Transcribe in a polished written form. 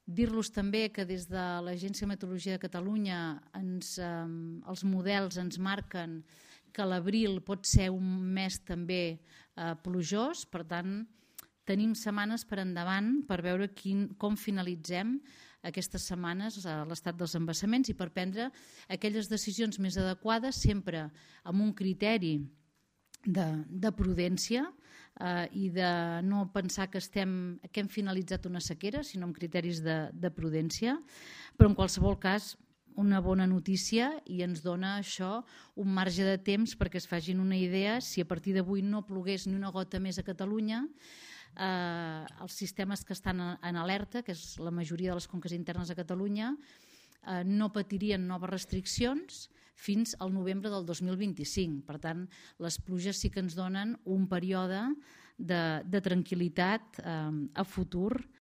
Dir-los també que des de l'Agència de Meteorologia de Catalunya els models ens marquen que l'abril pot ser un mes també plujós, per tant tenim setmanes per endavant per veure com finalitzem aquestes setmanes a l'estat dels embassaments i per prendre aquelles decisions més adequades sempre amb un criteri de prudència i de no pensar que hem finalitzat una sequera, sinó amb criteris de prudència, però en qualsevol cas una bona notícia i ens dona això un marge de temps perquè es facin una idea. Si a partir d'avui no plogués ni una gota més a Catalunya, els sistemes que estan en alerta, que és la majoria de les conques internes a Catalunya, no patirien noves restriccions fins al novembre del 2025. Per tant, les pluges sí que ens donen un període de tranquil·litat a futur